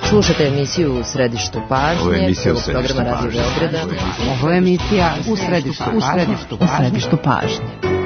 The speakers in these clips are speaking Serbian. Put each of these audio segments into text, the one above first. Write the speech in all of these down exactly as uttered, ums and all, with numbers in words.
Slušate emisiju U središtu pažnje, prvog programa Radio Beograda. Ovo je emisija U središtu pažnje. U središtu pažnje.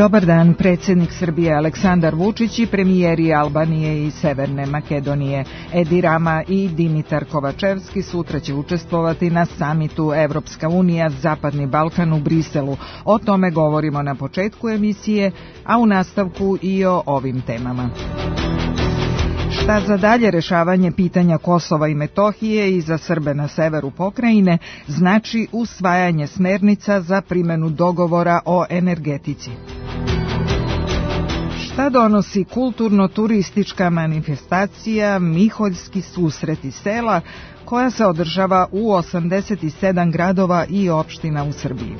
Dobar dan, predsjednik Srbije Aleksandar Vučić i premijeri Albanije i Severne Makedonije Edi Rama i Dimitar Kovačevski sutra će učestvovati na samitu Evropska unija Zapadni Balkan u Briselu. O tome govorimo na početku emisije, a u nastavku i o ovim temama. Šta za dalje rešavanje pitanja Kosova i Metohije i za Srbe na severu pokrajine znači usvajanje smernica za primenu dogovora o energetici? Šta donosi kulturno-turistička manifestacija Miholjski susreti sela koja se održava u osamdeset sedam gradova i opština u Srbiji?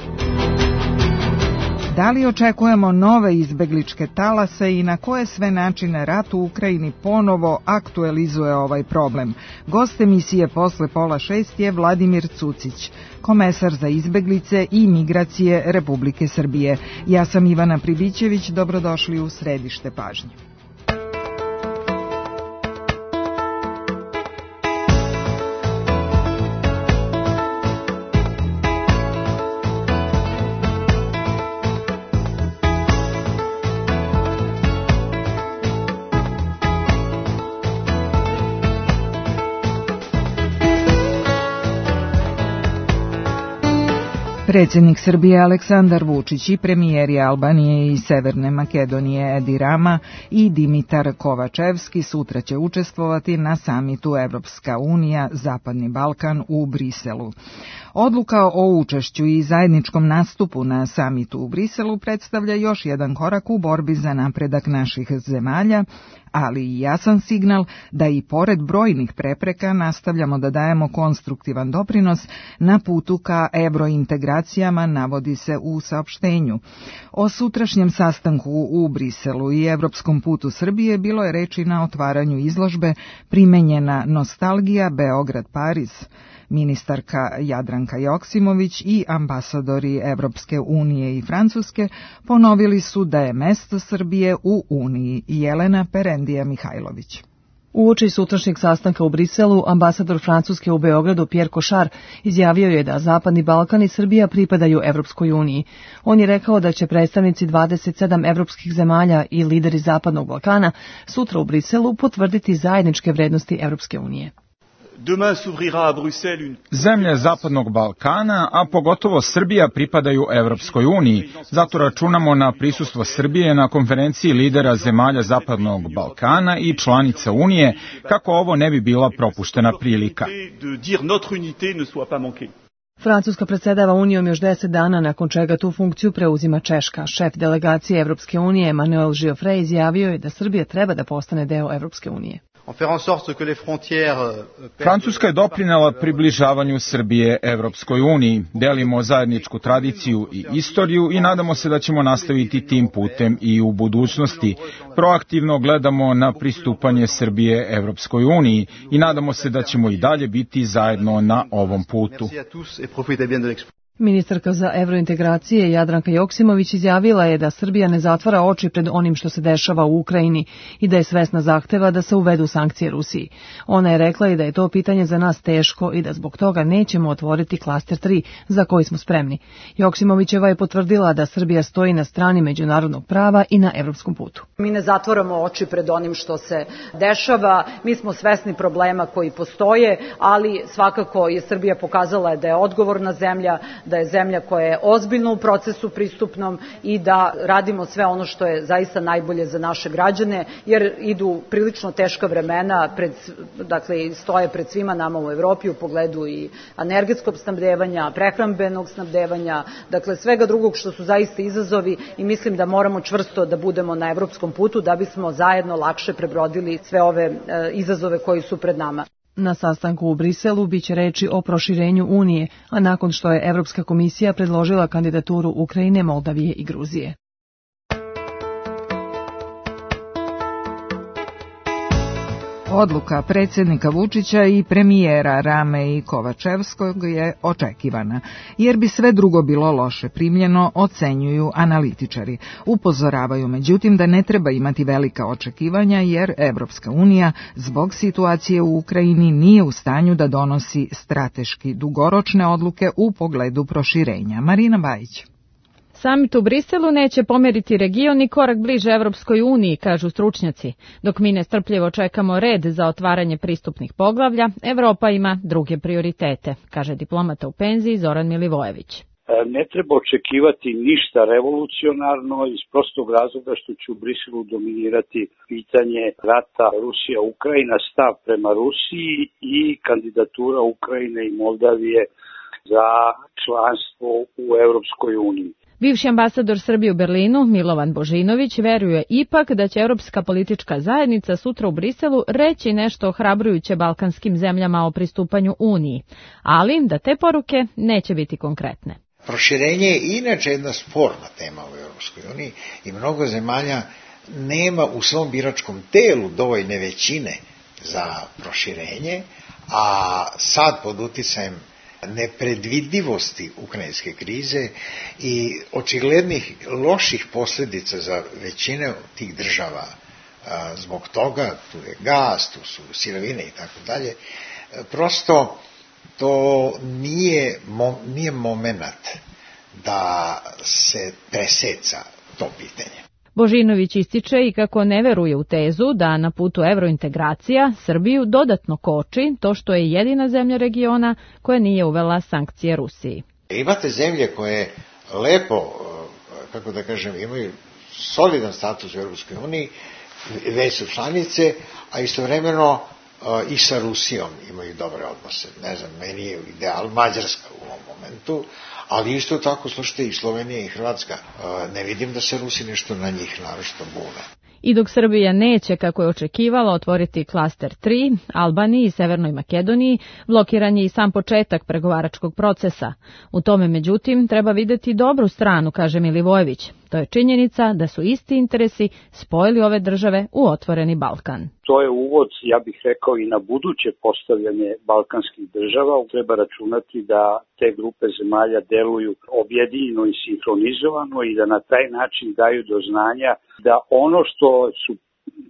Da li očekujemo nove izbegličke talase i na koje sve načine rat u Ukrajini ponovo aktualizuje ovaj problem? Gost emisije posle pola šest je Vladimir Cucić, komesar za izbeglice i migracije Republike Srbije. Ja sam Ivana Pribićević, dobrodošli u središte pažnje. Predsjednik Srbije Aleksandar Vučić i premijeri Albanije i Severne Makedonije Edi Rama i Dimitar Kovačevski sutra će učestvovati na samitu Evropska unija Zapadni Balkan u Briselu. Odluka o učešću i zajedničkom nastupu na samitu u Briselu predstavlja još jedan korak u borbi za napredak naših zemalja, ali i jasan signal da i pored brojnih prepreka nastavljamo da dajemo konstruktivan doprinos na putu ka evrointegracijama, navodi se u saopštenju. O sutrašnjem sastanku u Briselu i evropskom putu Srbije bilo je reči na otvaranju izložbe Primenjena nostalgija Beograd-Pariz. Ministarka Jadranka Joksimović i ambasadori Evropske unije i Francuske ponovili su da je mesto Srbije u Uniji. Jelena Perendija Mihajlović. Uoči sutrašnjeg sastanka u Briselu, ambasador Francuske u Beogradu Pierre Cochard izjavio je da Zapadni Balkan i Srbija pripadaju Evropskoj uniji. On je rekao da će predstavnici dvadeset sedam evropskih zemalja i lideri Zapadnog Balkana sutra u Briselu potvrditi zajedničke vrednosti Evropske unije. Zemlje Zapadnog Balkana, a pogotovo Srbija, pripadaju Evropskoj uniji. Zato računamo na prisustvo Srbije na konferenciji lidera zemalja Zapadnog Balkana i članica Unije, kako ovo ne bi bila propuštena prilika. Francuska predsedava Unijom još deset dana, nakon čega tu funkciju preuzima Češka. Šef delegacije Evropske unije Emmanuel Giofre izjavio je da Srbija treba da postane deo Evropske unije. Francuska je doprinela približavanju Srbije Evropskoj uniji. Delimo zajedničku tradiciju i istoriju i nadamo se da ćemo nastaviti tim putem i u budućnosti. Proaktivno gledamo na pristupanje Srbije Evropskoj uniji i nadamo se da ćemo i dalje biti zajedno na ovom putu. Ministarka za evrointegracije Jadranka Joksimović izjavila je da Srbija ne zatvara oči pred onim što se dešava u Ukrajini i da je svesna zahteva da se uvedu sankcije Rusiji. Ona je rekla i da je to pitanje za nas teško i da zbog toga nećemo otvoriti klaster tri za koji smo spremni. Joksimovićeva je potvrdila da Srbija stoji na strani međunarodnog prava i na evropskom putu. Mi ne zatvaramo oči pred onim što se dešava, mi smo svesni problema koji postoje, ali svakako je Srbija pokazala da je odgovorna zemlja, da je zemlja koja je ozbiljno u procesu pristupnom i da radimo sve ono što je zaista najbolje za naše građane, jer idu prilično teška vremena, pred, dakle, stoje pred svima nama u Evropi u pogledu i energetskog snabdevanja, prehrambenog snabdevanja, dakle svega drugog što su zaista izazovi i mislim da moramo čvrsto da budemo na evropskom putu da bismo zajedno lakše prebrodili sve ove e, izazove koji su pred nama. Na sastanku u Briselu biće reči o proširenju Unije, a nakon što je Evropska komisija predložila kandidaturu Ukrajine, Moldavije i Gruzije. Odluka predsjednika Vučića i premijera Rame i Kovačevskog je očekivana, jer bi sve drugo bilo loše primljeno, ocenjuju analitičari. Upozoravaju međutim da ne treba imati velika očekivanja, jer Evropska unija zbog situacije u Ukrajini nije u stanju da donosi strateški dugoročne odluke u pogledu proširenja. Marina Bajić. Samit u Briselu neće pomeriti region i korak bliže Evropskoj uniji, kažu stručnjaci. Dok mi nestrpljivo čekamo red za otvaranje pristupnih poglavlja, Evropa ima druge prioritete, kaže diplomata u penziji Zoran Milivojević. Ne treba očekivati ništa revolucionarno iz prostog razloga što će u Briselu dominirati pitanje rata Rusija-Ukrajina, stav prema Rusiji i kandidatura Ukrajine i Moldavije za članstvo u Evropskoj uniji. Bivši ambasador Srbije u Berlinu, Milovan Božinović, veruje ipak da će Evropska politička zajednica sutra u Briselu reći nešto ohrabrujuće balkanskim zemljama o pristupanju Uniji, ali da te poruke neće biti konkretne. Proširenje je inače jedna sporna tema u Evropskoj uniji i mnogo zemalja nema u svom biračkom telu dovoljne većine za proširenje, a sad pod uticajem nepredvidivosti ukrajinske krize i očiglednih loših posljedica za većine tih država zbog toga, tu je gas, tu su sirovine i tako dalje, prosto to nije, nije momenat da se preseca to pitanje. Božinović ističe i kako ne veruje u tezu da na putu evrointegracija Srbiju dodatno koči to što je jedina zemlja regiona koja nije uvela sankcije Rusiji. Imate zemlje koje lepo, kako da kažem, imaju solidan status u Europskoj uniji, već su članice, a istovremeno i sa Rusijom imaju dobre odnose. Ne znam, meni je ideal Mađarska u ovom momentu, ali isto tako, slušajte, i Slovenija i Hrvatska. Ne vidim da se Rusi nešto na njih naročito bune. I dok Srbija neće, kako je očekivala, otvoriti klaster tri, Albaniji i Severnoj Makedoniji, blokiran je i sam početak pregovaračkog procesa. U tome, međutim, treba videti dobru stranu, kaže Milivojević. To je činjenica da su isti interesi spojili ove države u otvoreni Balkan. To je uvod, ja bih rekao, i na buduće postavljanje balkanskih država. Treba računati da te grupe zemalja deluju objedinjeno i sinhronizovano i da na taj način daju do znanja da ono što su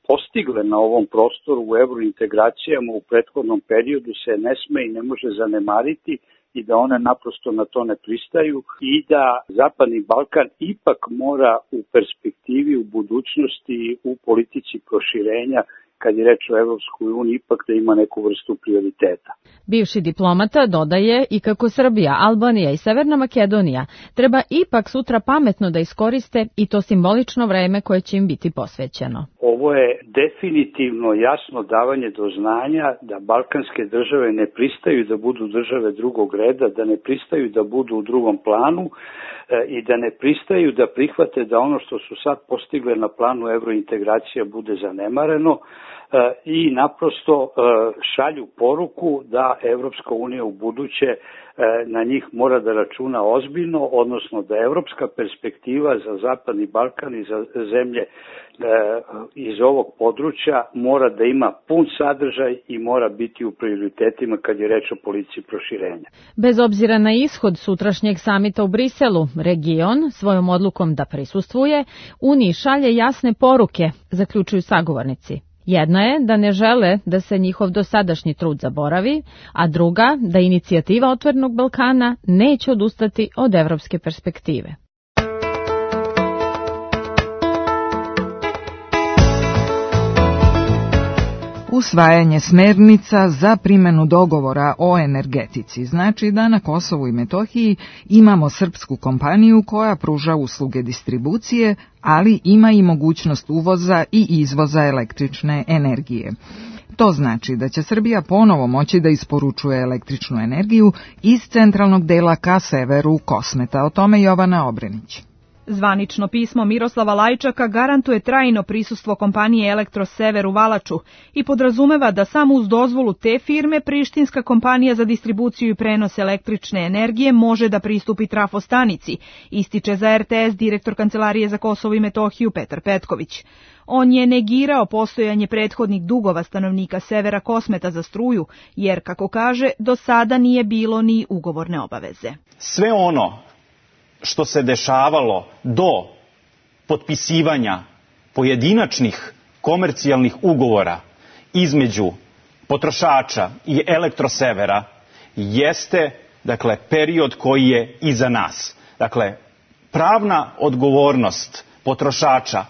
postigle na ovom prostoru u evrointegracijama u prethodnom periodu se ne sme i ne može zanemariti i da one naprosto na to ne pristaju i da Zapadni Balkan ipak mora u perspektivi, u budućnosti, u politici proširenja, kad je reč o Evropskoj uniji, ipak da ima neku vrstu prioriteta. Bivši diplomata dodaje i kako Srbija, Albanija i Severna Makedonija treba ipak sutra pametno da iskoriste i to simbolično vreme koje će im biti posvećeno. Ovo je definitivno jasno davanje do znanja da balkanske države ne pristaju da budu države drugog reda, da ne pristaju da budu u drugom planu i da ne pristaju da prihvate da ono što su sad postigle na planu evrointegracija bude zanemareno i naprosto šalju poruku da Evropska unija u buduće na njih mora da računa ozbiljno, odnosno da evropska perspektiva za Zapadni Balkan i za zemlje iz ovog područja mora da ima pun sadržaj i mora biti u prioritetima kad je reč o politici proširenja. Bez obzira na ishod sutrašnjeg samita u Briselu, region svojom odlukom da prisustvuje Uniji šalje jasne poruke, zaključuju sagovornici. Jedna je da ne žele da se njihov dosadašnji trud zaboravi, a druga da inicijativa Otvorenog Balkana neće odustati od evropske perspektive. Usvajanje smernica za primjenu dogovora o energetici znači da na Kosovu i Metohiji imamo srpsku kompaniju koja pruža usluge distribucije, ali ima i mogućnost uvoza i izvoza električne energije. To znači da će Srbija ponovo moći da isporučuje električnu energiju iz centralnog dela ka severu Kosmeta. O tome Jovana Obrenić. Zvanično pismo Miroslava Lajčaka garantuje trajno prisustvo kompanije Elektrosever u Valaču i podrazumeva da samo uz dozvolu te firme prištinska kompanija za distribuciju i prenos električne energije može da pristupi trafostanici, ističe za er te es direktor Kancelarije za Kosovo i Metohiju Petar Petković. On je negirao postojanje prethodnih dugova stanovnika severa Kosmeta za struju, jer, kako kaže, do sada nije bilo ni ugovorne obaveze. Sve ono što se dešavalo do potpisivanja pojedinačnih komercijalnih ugovora između potrošača i Elektrosevera jeste, dakle, period koji je iza nas. Dakle, pravna odgovornost potrošača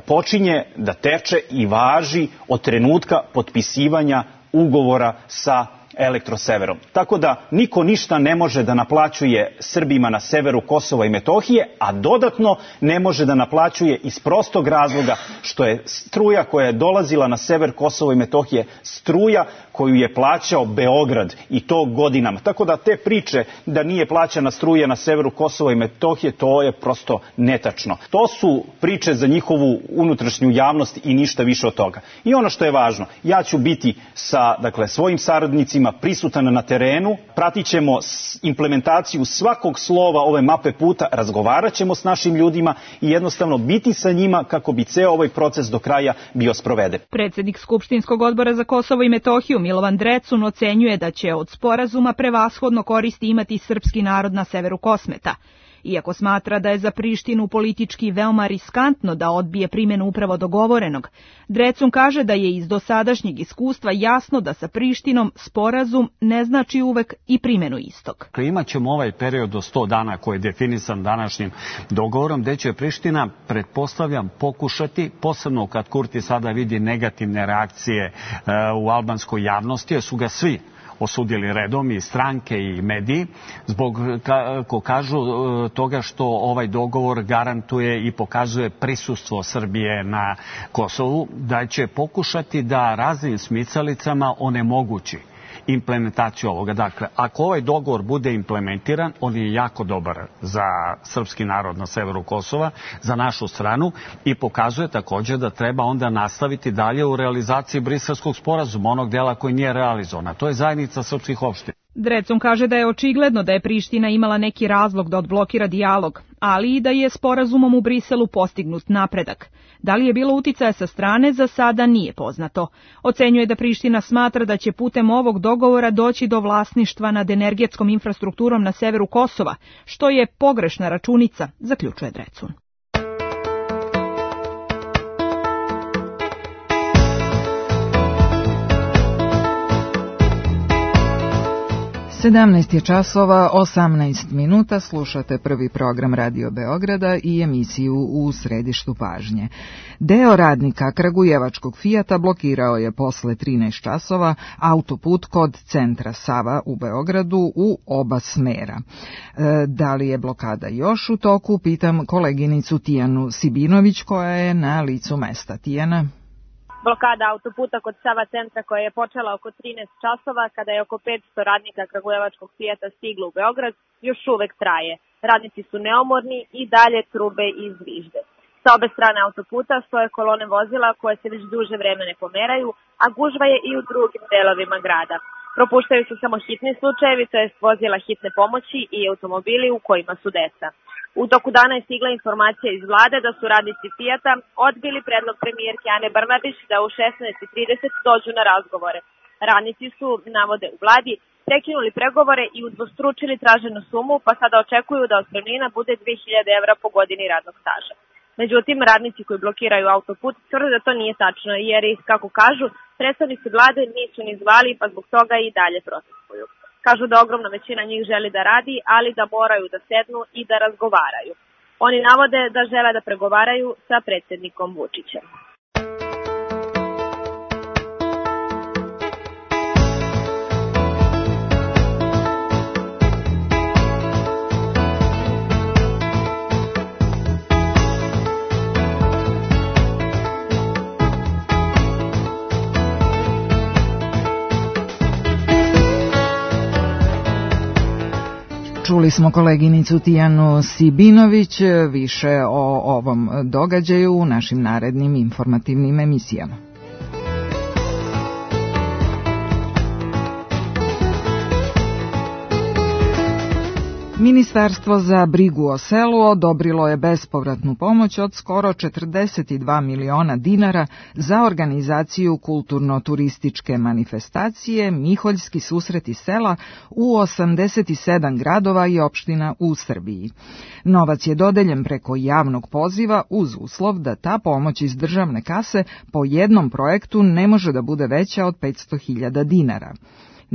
počinje da teče i važi od trenutka potpisivanja ugovora sa Elektroseverom. Tako da niko ništa ne može da naplaćuje Srbima na severu Kosova i Metohije, a dodatno ne može da naplaćuje iz prostog razloga što je struja koja je dolazila na sever Kosova i Metohije struja koju je plaćao Beograd i to godinama. Tako da te priče da nije plaćana struja na severu Kosova i Metohije, to je prosto netačno. To su priče za njihovu unutrašnju javnost i ništa više od toga. I ono što je važno, ja ću biti sa, dakle, svojim saradnicima prisutan na terenu, pratit ćemo implementaciju svakog slova ove mape puta, razgovarat ćemo s našim ljudima i jednostavno biti sa njima kako bi ceo ovaj proces do kraja bio sproveden. Predsednik Skupštinskog odbora za Kosovo i Metohiju Milovan Drecun ocenjuje da će od sporazuma prevashodno koristi imati srpski narod na severu Kosmeta. Iako smatra da je za Prištinu politički veoma riskantno da odbije primjenu upravo dogovorenog, Drecun kaže da je iz dosadašnjeg iskustva jasno da sa Prištinom sporazum ne znači uvek i primjenu istog. Imaćemo ovaj period do sto dana koji je definisan današnjim dogovorom, gde će Priština, pretpostavljam, pokušati, posebno kad Kurti sada vidi negativne reakcije u albanskoj javnosti, jer su ga svi osudili redom, i stranke i mediji, zbog, kako kažu, toga što ovaj dogovor garantuje i pokazuje prisustvo Srbije na Kosovu, da će pokušati da raznim smicalicama onemogući implementaciju ovoga. Dakle, ako ovaj dogovor bude implementiran, on je jako dobar za srpski narod na severu Kosova, za našu stranu, i pokazuje također da treba onda nastaviti dalje u realizaciji Briselskog sporazuma, onog dela koji nije realizovan, a to je zajednica srpskih opština. Drecun kaže da je očigledno da je Priština imala neki razlog da odblokira dijalog, ali i da je sporazumom u Briselu postignut napredak. Da li je bilo uticaja sa strane, za sada nije poznato. Ocenjuje da Priština smatra da će putem ovog dogovora doći do vlasništva nad energetskom infrastrukturom na severu Kosova, što je pogrešna računica, zaključuje Drecun. sedamnaest je časova, osamnaest minuta, slušate prvi program Radio Beograda i emisiju U središtu pažnje. Deo radnika kragujevačkog Fijata blokirao je posle trinaest časova autoput kod centra Sava u Beogradu u oba smera. E, da li je blokada još u toku, pitam koleginicu Tijanu Sibinović koja je na licu mesta. Tijana? Blokada autoputa kod Sava centra koja je počela oko trinaest časova kada je oko petsto radnika kragujevačkog Fijata stiglo u Beograd još uvek traje. Radnici su neumorni i dalje trube i zvižde. Sa obe strane autoputa stoje kolone vozila koje se već duže vreme ne pomeraju, a gužva je i u drugim delovima grada. Propuštaju se samo hitni slučajevi, to jest vozila hitne pomoći i automobili u kojima su deca. U toku dana je stigla informacija iz vlade da su radnici Fijata odbili predlog premijerke Ane Brnabić da u šesnaest i trideset dođu na razgovore. Radnici su, navode u vladi, prekinuli pregovore i udvostručili traženu sumu, pa sada očekuju da otpremnina bude dve hiljade evra po godini radnog staža. Međutim, radnici koji blokiraju autoput tvrde da to nije tačno, jer ih, kako kažu, predstavnici vlade nisu ni zvali, pa zbog toga i dalje protestuju. Kažu da ogromna većina njih želi da radi, ali da moraju da sednu i da razgovaraju. Oni navode da žele da pregovaraju sa predsjednikom Vučićem. Čuli smo koleginicu Tijanu Sibinović, više o ovom događaju u našim narednim informativnim emisijama. Ministarstvo za brigu o selu odobrilo je bespovratnu pomoć od skoro četrdeset dva miliona dinara za organizaciju kulturno-turističke manifestacije Miholjski susreti sela u osamdeset sedam gradova i opština u Srbiji. Novac je dodeljen preko javnog poziva uz uslov da ta pomoć iz državne kase po jednom projektu ne može da bude veća od petsto hiljada dinara.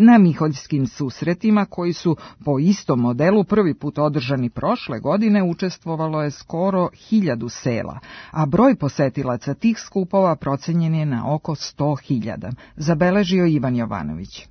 Na Miholjskim susretima, koji su po istom modelu prvi put održani prošle godine, učestvovalo je skoro hiljadu sela, a broj posetilaca tih skupova procenjen je na oko sto hiljada, zabeležio Ivan Jovanović.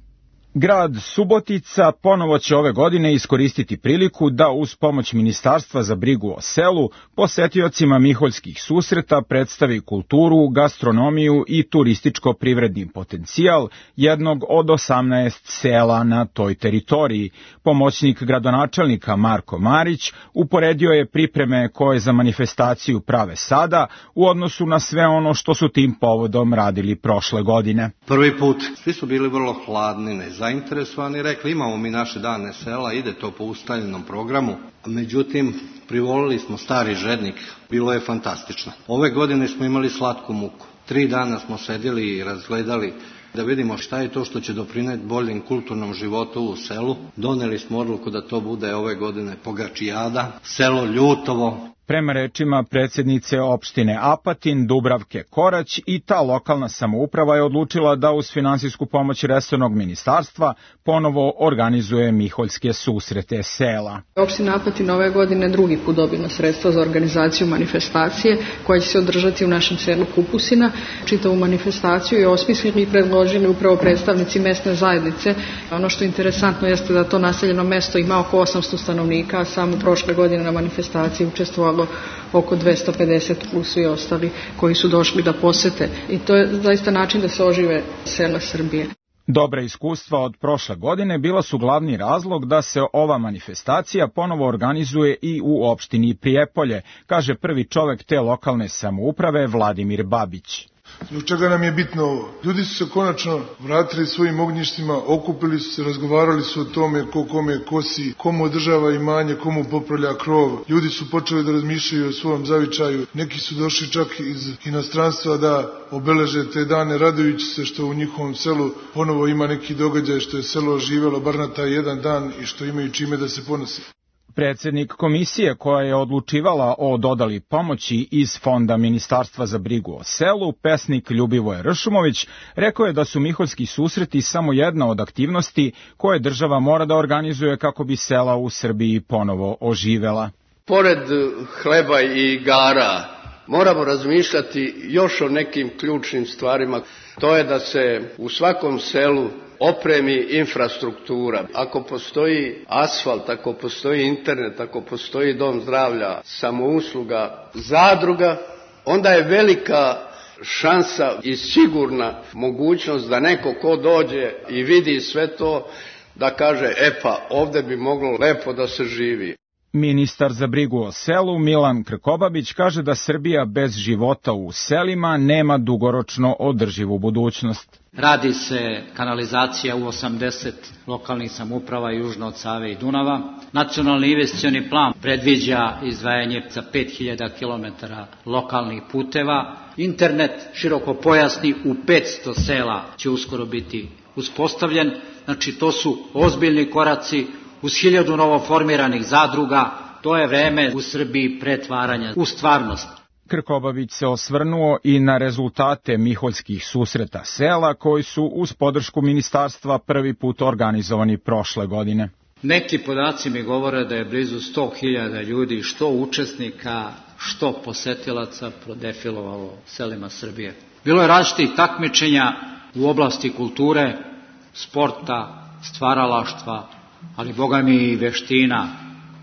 Grad Subotica ponovo će ove godine iskoristiti priliku da uz pomoć Ministarstva za brigu o selu posetiocima Miholjskih susreta predstavi kulturu, gastronomiju i turističko-privredni potencijal jednog od osamnaest sela na toj teritoriji. Pomoćnik gradonačelnika Marko Marić uporedio je pripreme koje za manifestaciju prave sada u odnosu na sve ono što su tim povodom radili prošle godine. Prvi put svi su bili vrlo hladni, nezainteresovani, zainteresovani, rekli imamo mi naše dane sela, ide to po ustaljenom programu, međutim privolili smo Stari Žednik, bilo je fantastično. Ove godine smo imali slatku muku, tri dana smo sedjeli i razgledali da vidimo šta je to što će doprineti boljem kulturnom životu u selu. Doneli smo odluku da to bude ove godine Pogačijada, selo Ljutovo. Prema rečima predsjednice opštine Apatin, Dubravke Korać, i ta lokalna samouprava je odlučila da uz finansijsku pomoć resornog ministarstva ponovo organizuje Miholjske susrete sela. Opština Apatin ove godine drugi put dobila sredstva za organizaciju manifestacije koja će se održati u našem selu Kupusina. Čitavu manifestaciju je osmislili i predložili upravo predstavnici mesne zajednice. Ono što je interesantno jeste da to naseljeno mesto ima oko osamsto stanovnika, a samo prošle godine na manifestaciji učestvovalo oko dvesta pedeset plus i ostali koji su došli da posete. I to je zaista način da se ožive sela Srbije. Dobra iskustva od prošle godine bila su glavni razlog da se ova manifestacija ponovo organizuje i u opštini Prijepolje, kaže prvi čovek te lokalne samouprave Vladimir Babić. Zbog čega nam je bitno ovo? Ljudi su se konačno vratili svojim ognjištima, okupili su se, razgovarali su o tome ko kome kosi, komu održava imanje, komu popravlja krov. Ljudi su počeli da razmišljaju o svom zavičaju. Neki su došli čak iz inostranstva da obeleže te dane, radujući se što u njihovom selu ponovo ima neki događaj, što je selo oživelo bar na taj jedan dan i što imaju čime da se ponose. Predsjednik komisije koja je odlučivala o dodali pomoći iz Fonda Ministarstva za brigu o selu, pesnik Ljubivoje Ršumović, rekao je da su Miholjski susreti samo jedna od aktivnosti koje država mora da organizuje kako bi sela u Srbiji ponovo oživela. Pored hleba i igara moramo razmišljati još o nekim ključnim stvarima. To je da se u svakom selu opremi infrastruktura. Ako postoji asfalt, ako postoji internet, ako postoji dom zdravlja, samousluga, zadruga, onda je velika šansa i sigurna mogućnost da neko ko dođe i vidi sve to, da kaže, e pa ovdje bi moglo lepo da se živi. Ministar za brigu o selu Milan Krkobabić kaže da Srbija bez života u selima nema dugoročno održivu budućnost. Radi se kanalizacija u osamdeset lokalnih samouprava južno od Save i Dunava. Nacionalni investicioni plan predviđa izdvajanje za pet hiljada kilometara lokalnih puteva. Internet širokopojasni u petsto sela će uskoro biti uspostavljen. Znači to su ozbiljni koraci. Uz hiljadu novoformiranih zadruga, to je vreme u Srbiji pretvaranja u stvarnost. Krkobabić se osvrnuo i na rezultate Miholjskih susreta sela koji su uz podršku ministarstva prvi put organizovani prošle godine. Neki podaci mi govore da je blizu sto hiljada ljudi, što učesnika, što posetilaca, prodefilovalo selima Srbije. Bilo je različitih takmičenja u oblasti kulture, sporta, stvaralaštva, ali boga mi i veština,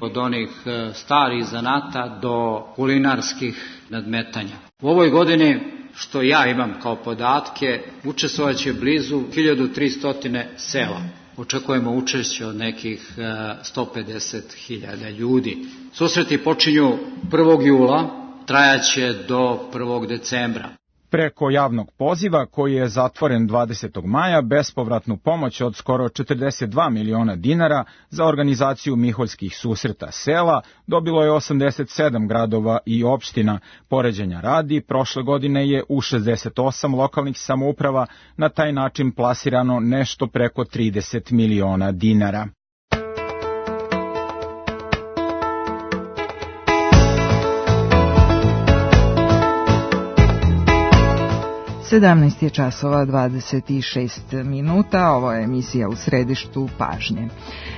od onih starih zanata do kulinarskih nadmetanja. U ovoj godini, što ja imam kao podatke, učestvovat će blizu hiljadu tristo sela. očekujemo učešće od nekih sto pedeset hiljada ljudi. Susreti počinju prvog jula, trajaće do prvog decembra. Preko javnog poziva, koji je zatvoren dvadesetog maja, bespovratnu pomoć od skoro četrdeset dva miliona dinara za organizaciju Miholjskih susreta sela dobilo je osamdeset sedam gradova i opština. Poređenja radi, prošle godine je u šezdeset osam lokalnih samouprava na taj način plasirano nešto preko trideset miliona dinara. sedamnaest je časova dvadeset šest minuta, ovo je emisija U središtu pažnje.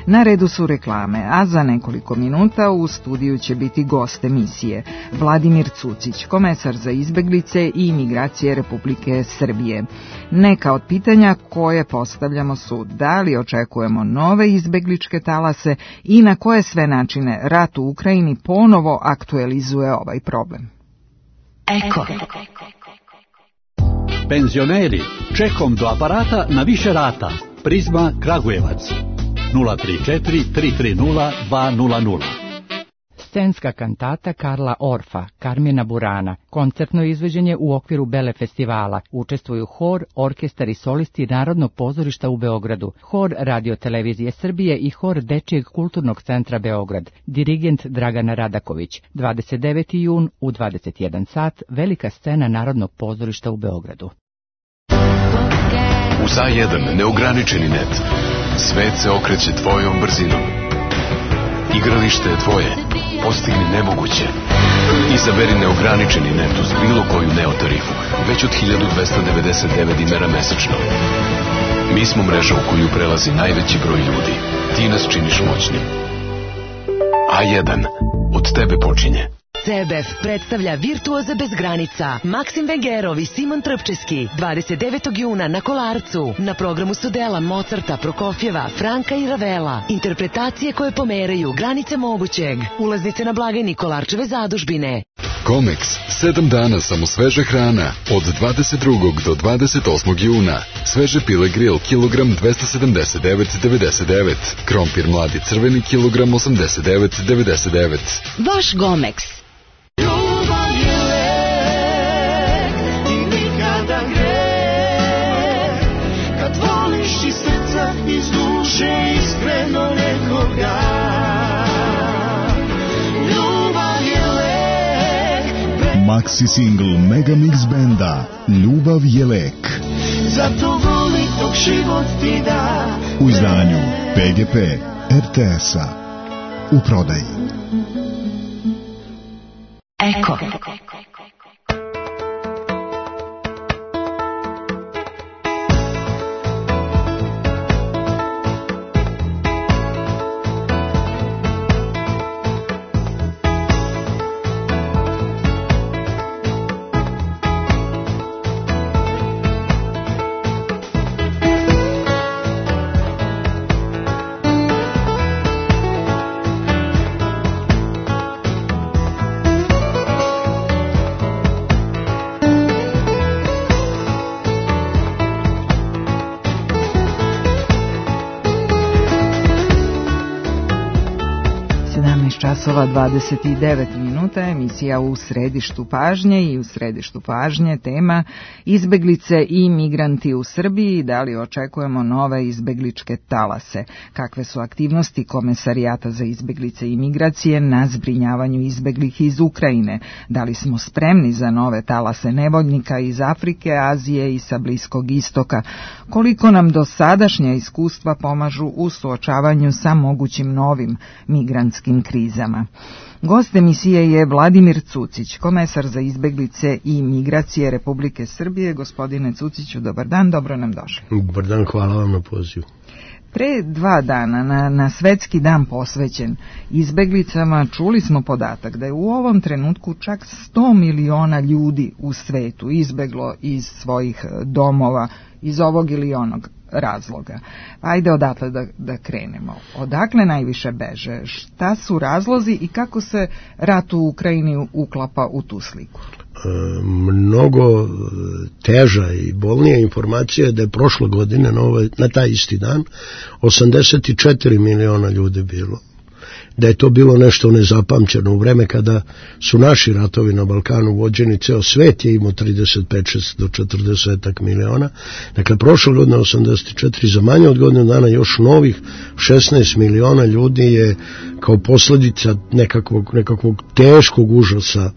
Na redu su reklame, a za nekoliko minuta u studiju će biti gost emisije Vladimir Cucić, komesar za izbeglice i imigracije Republike Srbije. Neka od pitanja koje postavljamo su da li očekujemo nove izbegličke talase i na koje sve načine rat u Ukrajini ponovo aktualizuje ovaj problem. Eko. Penzioneri, čekom do aparata na više rata. Prizma Kragujevac. nula tri četiri tri tri nula dva nula nula. Scenska kantata Karla Orfa, Karmina Burana, koncertno izvođenje u okviru Bele festivala. Učestvuju hor, orkestar i solisti Narodnog pozorišta u Beogradu, hor Radio Televizije Srbije i hor Dečijeg kulturnog centra Beograd. Dirigent Dragana Radaković. dvadeset deveti jun u dvadeset jedan sat, velika scena Narodnog pozorišta u Beogradu. Uz A jedan neograničeni net. Svet se okreće tvojom brzinom. Igralište je tvoje. Postigni nemoguće. Izaberi neograničeni net uz bilo koju Neo tarifu, već od hiljadu dvesta devedeset devet dinara mesečno. Mi smo mreža u koju prelazi najveći broj ljudi. Ti nas činiš moćnim. A jedan. Od tebe počinje. C B F predstavlja Virtuoze bez granica. Maksim Vengerov i Simon Trpčeski dvadeset devetog juna na Kolarcu. Na programu su dela Mozarta, Prokofjeva, Franka i Ravela. Interpretacije koje pomeraju granice mogućeg. Ulaznice na blagajni Kolarčeve zadužbine. Comex, sedam dana samo sveže hrana, od dvadeset drugog do dvadeset osmog juna. Sveže pile grill, kilogram dvesta sedamdeset devet devedeset devet. Krompir mladi crveni, kilogram osamdeset devet devedeset devet. Vaš Gomex. Ljubav je lek i nikada greh, kad voliš iz srca, iz duše, iskreno nekoga. Ljubav je lek. Maxi single Megamix benda Ljubav je lek. Zato voli dok život ti da. U izdanju P G P R T S-a. U prodaji. Eko. časova dvadeset devet minuta, emisija U središtu pažnje i u središtu pažnje tema izbeglice i migranti u Srbiji, da li očekujemo nove izbegličke talase, kakve su aktivnosti Komesarijata za izbeglice i migracije na zbrinjavanju izbeglih iz Ukrajine, da li smo spremni za nove talase nevoljnika iz Afrike, Azije i sa Bliskog istoka, koliko nam dosadašnja iskustva pomažu u suočavanju sa mogućim novim migrantskim krizama. Gost emisije je Vladimir Cucić, komesar za izbeglice i migracije Republike Srbije. Gospodine Cuciću, dobar dan, dobro nam došli. Dobar dan, hvala vam na pozivu. Pre dva dana na, na svetski dan posvećen izbeglicama čuli smo podatak da je u ovom trenutku čak sto miliona ljudi u svetu izbeglo iz svojih domova iz ovog ili onog razloga. Ajde odatle da, da krenemo. Odakle najviše beže? Šta su razlozi i kako se rat u Ukrajini uklapa u tu sliku? mnogo teža i bolnija informacija je da je prošle godine na, ovaj, na taj isti dan osamdeset četiri miliona ljudi bilo. Da je to bilo nešto nezapamćeno u vreme kada su naši ratovi na Balkanu vođeni, ceo svet je imao trideset pet do četrdeset miliona. Dakle, prošle godine osamdeset četiri, za manje od godinu dana još novih šesnaest miliona ljudi je kao posljedica nekakvog, nekakvog teškog užasa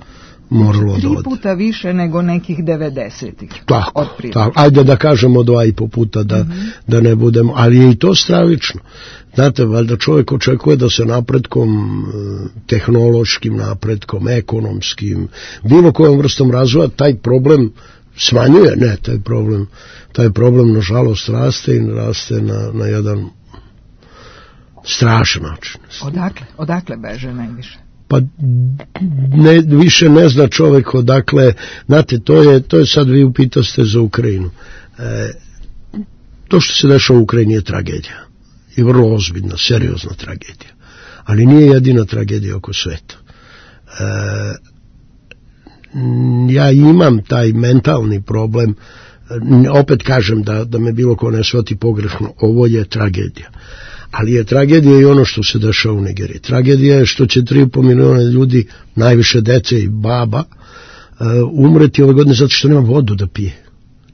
moralo tri da ode. puta više nego nekih devedesetih. Tako, tako. Ajde da kažemo dva i po puta da, mm-hmm. da ne budemo, ali je i to stravično. Znate, valjda čovjek očekuje da se napretkom, tehnološkim napretkom, ekonomskim, bilo kojom vrstom razvoja, taj problem smanjuje, ne, taj problem, taj problem nažalost raste i raste na, na jedan strašan način. Odakle? Odakle beže najviše? Pa ne, više ne zna čovjek odakle, znate, to je, to je sad vi upitaste za Ukrajinu. E, to što se dešava u Ukrajini je tragedija. I vrlo ozbiljna, seriozna tragedija. Ali nije jedina tragedija oko sveta. E, ja imam taj mentalni problem, opet kažem da, da me bilo ko ne shvati pogrešno, ovo je tragedija. Ali je tragedija i ono što se dešava u Nigeriji. Tragedija je što će tri i po miliona ljudi, najviše dece i baba, uh, umreti ove godine zato što nema vodu da pije.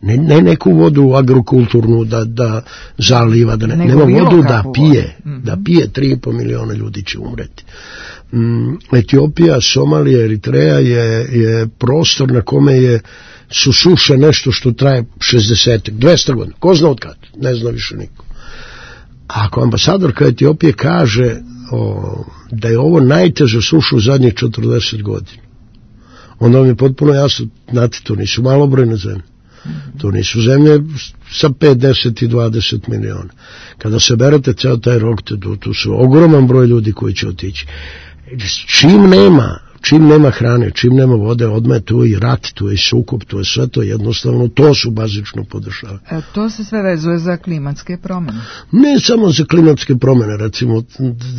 Ne, ne neku vodu agrokulturnu da, da zaliva, da ne, nema vodu da pije. Mm-hmm. Da pije, tri i po miliona ljudi će umreti. Um, Etiopija, Somalija, Eritreja je, je prostor na kome je su suše nešto što traje šezdeset, dvesta godina. Ko zna od kad? Ne zna više niko. Ako ambasadorka Etiopije kaže o, da je ovo najteža suša u zadnjih četrdeset godina, onda vam je potpuno jasno, znate, to nisu malobrojne zemlje. To nisu zemlje sa pet, deset i dvadeset miliona. Kada se berete ceo taj rok, tu, tu su ogroman broj ljudi koji će otići. Čim nema, čim nema hrane, čim nema vode, odmah tu je i rat, tu je i sukob, tu je sve to jednostavno, to su bazično podešava. E, to se sve vezuje za klimatske promjene? Ne samo za klimatske promjene, recimo,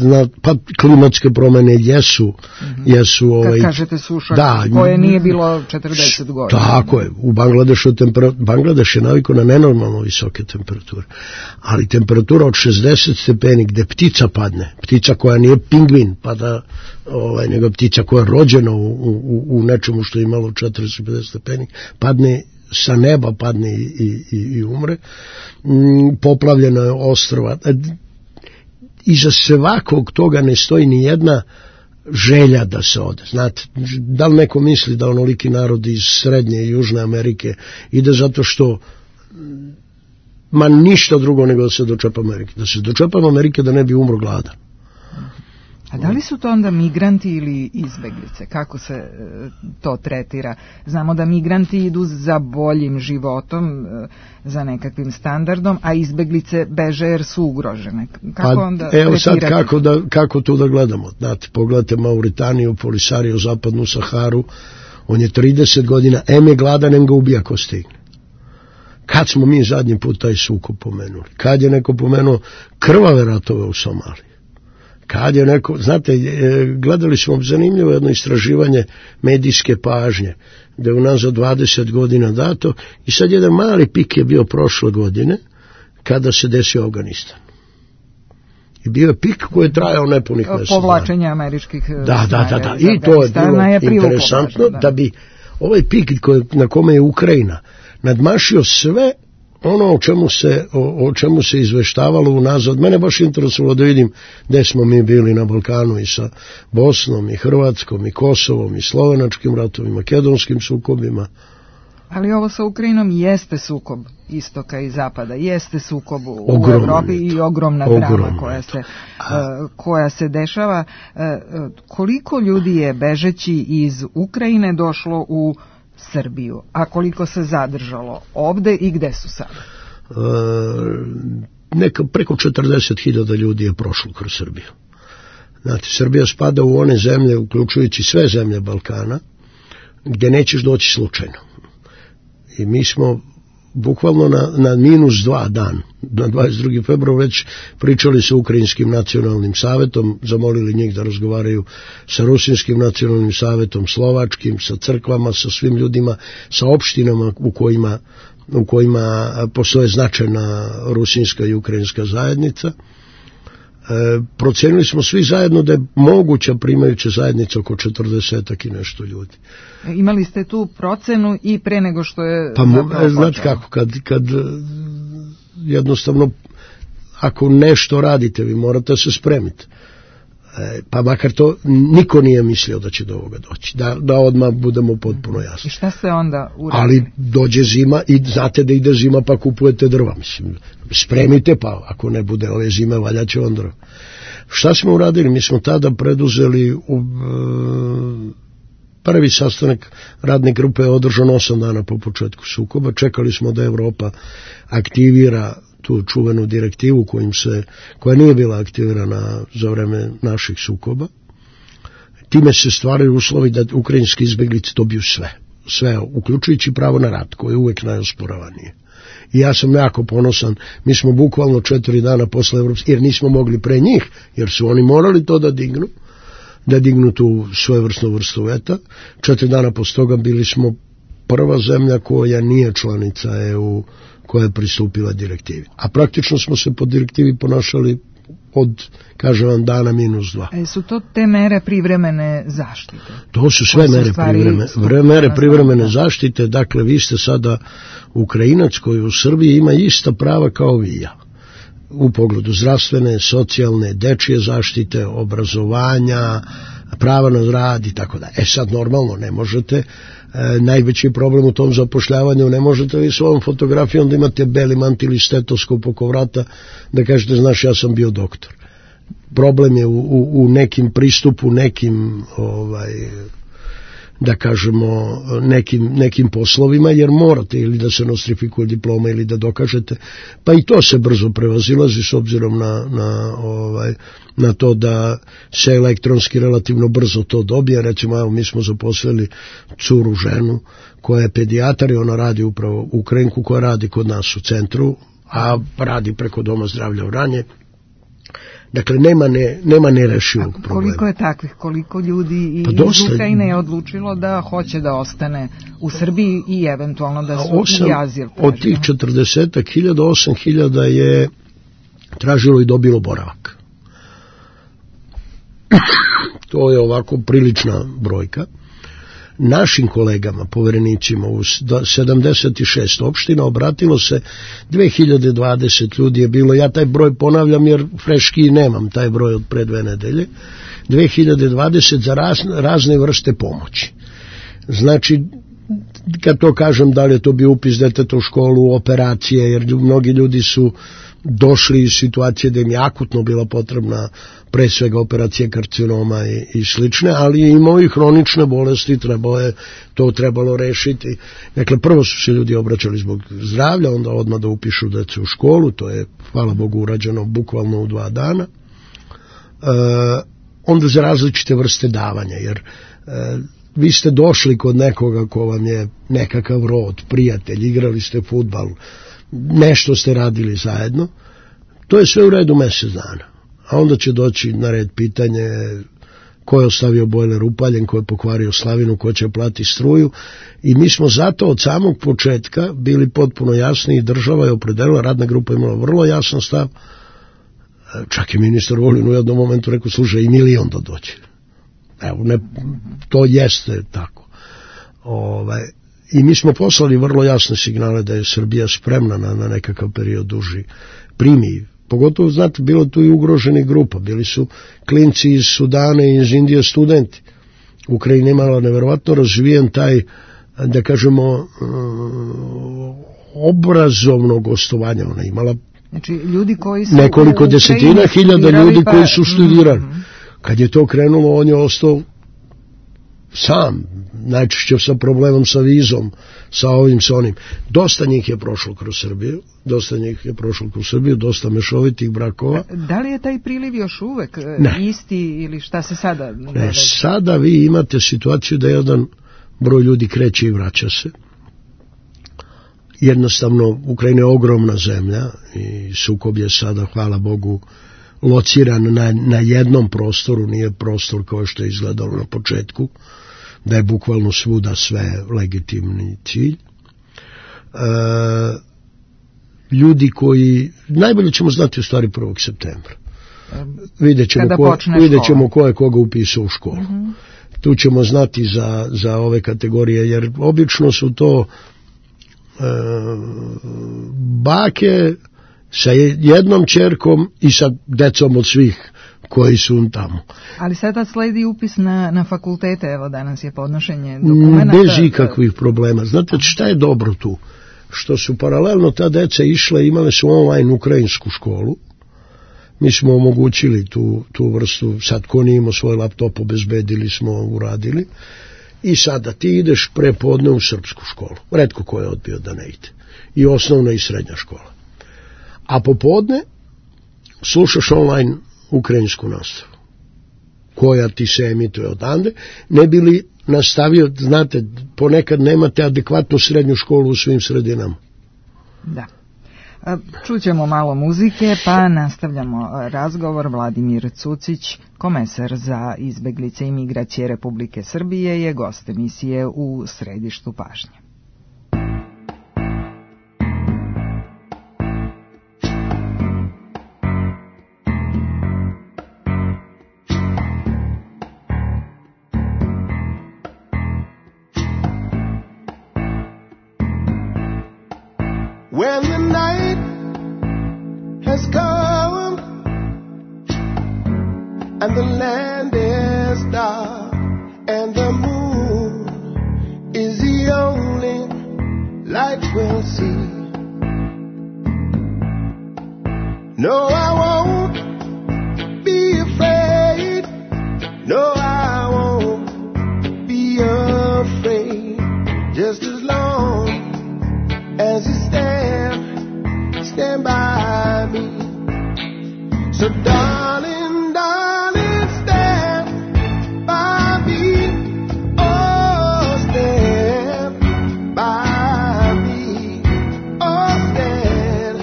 na, pa klimatske promjene jesu, mm-hmm. jesu ovaj, kad kažete suša, da, koje nije bilo četrdeset godina. Tako je, u Bangladešu tempera, Bangladeš je navikao na nenormalno visoke temperature, ali temperatura od šezdeset stepeni gde ptica padne, ptica koja nije pingvin, pa da ovaj, nego ptica koja je rođena u, u, u nečemu što je imalo četrdeset do pedeset stepeni, padne sa neba, padne i, i, i umre. Mm, poplavljena je ostrva. Iza svakog toga ne stoji ni jedna želja da se ode. Znate, da li neko misli da onoliki narod iz Srednje i Južne Amerike ide zato što ma ništa drugo nego da se dočepa Amerike. Da se dočepa Amerike da ne bi umro gladan. A da li su to onda migranti ili izbeglice? Kako se e, to tretira? Znamo da migranti idu za boljim životom, e, za nekakvim standardom, a izbeglice beže jer su ugrožene. Kako pa, onda evo sad tretirati? kako, da, kako to da gledamo? Znate, pogledajte Mauritaniju, Polisario, zapadnu Saharu, on je trideset godina, em je gladan, em ga ubija ko stigne. Kad smo mi zadnji put taj sukob pomenuli? Kad je neko pomenuo krvave ratove u Somaliji? Kad je neko, znate, gledali smo zanimljivo jedno istraživanje medijske pažnje, da je unazad dvadeset godina dato i sad jedan mali pik je bio prošle godine kada se desio Afganistan. I bio je pik koji je trajao nepunih mjesec. Povlačenje američkih da, da, da, da. I to je bilo je interesantno da. da bi ovaj pik koji, na kome je Ukrajina nadmašio sve ono o čemu se, o, o čemu se izveštavalo unazad. Mene baš interesovalo da vidim gde smo mi bili na Balkanu i sa Bosnom i Hrvatskom i Kosovom i slovenačkim ratovima, makedonskim sukobima. Ali ovo sa Ukrajinom jeste sukob istoka i zapada, jeste sukob u Ogromno Evropi i ogromna Ogromno drama koja se, uh, koja se dešava. Uh, koliko ljudi je bežeći iz Ukrajine došlo u Srbiju, a koliko se zadržalo ovde i gde su sada? E, neka preko četrdeset hiljada ljudi je prošlo kroz Srbiju. Znate, Srbija spada u one zemlje, uključujući sve zemlje Balkana, gdje nećeš doći slučajno. I mi smo bukvalno na, na minus dva dan, na dvadeset drugi februar već pričali sa Ukrajinskim nacionalnim savetom, zamolili njih da razgovaraju sa Rusinskim nacionalnim savetom, Slovačkim, sa crkvama, sa svim ljudima, sa opštinama u kojima, u kojima postoje značajna rusinska i ukrajinska zajednica. E, procenili smo svi zajedno da je moguća primajuća zajednica oko četrdesetak i nešto ljudi. Imali ste tu procenu i pre nego što je pa zapravo znate kako, kad, kad jednostavno ako nešto radite, vi morate se spremiti. E, pa makar to niko nije mislio da će do ovoga doći, da, da odmah budemo potpuno jasni. I šta ste onda uradili? Ali dođe zima i znate da ide zima pa kupujete drva, mislim, spremite pa ako ne bude ove zime valjaće on drva. Šta smo uradili? Mi smo tada preduzeli u, e, prvi sastanak radne grupe je održan osam dana po početku sukoba, čekali smo da Evropa aktivira tu čuvenu direktivu kojim se, koja nije bila aktivirana za vreme naših sukoba. Time se stvaraju uslovi da ukrajinski izbeglice dobiju sve. Sve, uključujući pravo na rad, koje je uvek najosporavanije. I ja sam jako ponosan, mi smo bukvalno četiri dana posle Evropske, jer nismo mogli pre njih, jer su oni morali to da dignu, da dignu tu svojevrsnu vrstu veta. Četiri dana posle toga bili smo prva zemlja koja nije članica E U, koja je pristupila direktivi. A praktično smo se po direktivi ponašali od, kažem vam, dana minus dva. E, su to te mere privremene zaštite? To su sve mere privremene, mere privremene zaštite. Dakle, vi ste sada Ukrajinac koji u Srbiji ima ista prava kao vi i ja. U pogledu zdravstvene, socijalne, dečije zaštite, obrazovanja, prava na rad i tako da. E sad normalno ne možete, e, najveći problem u tom zapošljavanju, ne možete vi svojom fotografijom da imate beli mantil i stetoskop oko vrata da kažete znaš ja sam bio doktor. Problem je u, u, u nekim pristupu, nekim ovaj, da kažemo nekim, nekim poslovima, jer morate ili da se nostrifikuje diploma ili da dokažete, pa i to se brzo prevazilazi s obzirom na, na, ovaj, na to da se elektronski relativno brzo to dobije. Recimo, evo, mi smo zaposlili curu ženu koja je pedijatar i ona radi upravo Ukrajinku koja radi kod nas u centru, a radi preko Doma zdravlja Vranje. Dakle, nema, ne, nema nerešivog problema. Koliko je takvih, koliko ljudi pa iz dosta, Ukrajine je odlučilo da hoće da ostane u Srbiji i eventualno da su osam, i azil tražili? Od tih četrdesetak hiljada, osam hiljada je tražilo i dobilo boravak. To je ovako prilična brojka. Našim kolegama, poverenicima u sedamdeset šest opština obratilo se dve hiljade dvadeset ljudi je bilo, ja taj broj ponavljam jer freški nemam taj broj od pre dve nedelje, dve hiljade dvadeset za raz, razne vrste pomoći. Znači, kad to kažem, da li je to bio upis deteta u školu, operacije, jer mnogi ljudi su došli iz situacije da im je akutno bila potrebna pre svega operacije karcinoma i, i slične, ali i imao i hronične bolesti, trebalo je to trebalo rešiti. Dakle, prvo su se ljudi obraćali zbog zdravlja, onda odmah da upišu decu u školu, to je, hvala Bogu, urađeno bukvalno u dva dana. E, onda za različite vrste davanja, jer e, vi ste došli kod nekoga ko vam je nekakav rod, prijatelj, igrali ste fudbal, nešto ste radili zajedno, to je sve u redu mjesec dana. A onda će doći na red pitanje ko je ostavio bojler upaljen, ko je pokvario slavinu, ko će plati struju, i mi smo zato od samog početka bili potpuno jasni i država je opredelila, radna grupa imala vrlo jasan stav, čak i ministar Vulin u jednom momentu rekao, slušaj, i milion da dođe. Evo, ne, to jeste tako. Ovaj, i mi smo poslali vrlo jasne signale da je Srbija spremna na, na nekakav period duži primi. Pogotovo, znate, bilo tu i ugroženih grupa. Bili su klinci iz Sudana i iz Indije studenti. Ukrajina imala neverovatno razvijen taj, da kažemo, obrazovno gostovanje. Ona imala znači, ljudi koji su nekoliko desetina hiljada ljudi pa... koji su studirali. Mm-hmm. Kad je to krenulo, on je ostao sam, najčešće sa problemom sa vizom, sa ovim, sa onim. Dosta njih je prošlo kroz Srbiju, dosta njih je prošlo kroz Srbiju, dosta mešovitih brakova. Da li je taj priliv još uvek ne. isti ili šta se sada? Ne, sada vi imate situaciju da jedan broj ljudi kreće i vraća se. jednostavno Ukrajina je ogromna zemlja i sukob je sada, hvala Bogu, lociran na, na jednom prostoru, nije prostor kao što je izgledalo na početku, da je bukvalno svuda sve legitimni cilj. E, ljudi koji, najbolje ćemo znati u stvari prvog septembra. Vidjet ćemo, ko, vidjet ćemo ko je koga upisao u školu. Mm-hmm. Tu ćemo znati za, za ove kategorije, jer obično su to e, bake sa jednom ćerkom i sa decom od svih koji su tamo. Ali sada sledi upis na, na fakultete, evo danas je podnošenje dokumenta. Bez ikakvih problema. Znate šta je dobro tu? Što su paralelno ta deca išle, imale su online ukrajinsku školu. Mi smo omogućili tu, tu vrstu, sad ko nije imao svoj laptop, obezbedili smo, uradili. I sada ti ideš prepodne u srpsku školu. Retko ko je odbio da ne ide. I osnovna i srednja škola. A popodne slušaš online ukrajinsku nastavu, koja ti se emituje odande, ne bi li nastavio, znate, ponekad nemate adekvatnu srednju školu u svim sredinama. Da. Čućemo malo muzike, pa nastavljamo razgovor. Vladimir Cucić, komesar za izbeglice i migracije Republike Srbije, je gost emisije u središtu pažnje. When the night has come and the land is dark and the moon is the only light we'll see. No, I won't be afraid. No, I won't be afraid. Just as long as you stand, stand by me. So darling, darling, stand by me. Oh, stand by me. Oh, stand.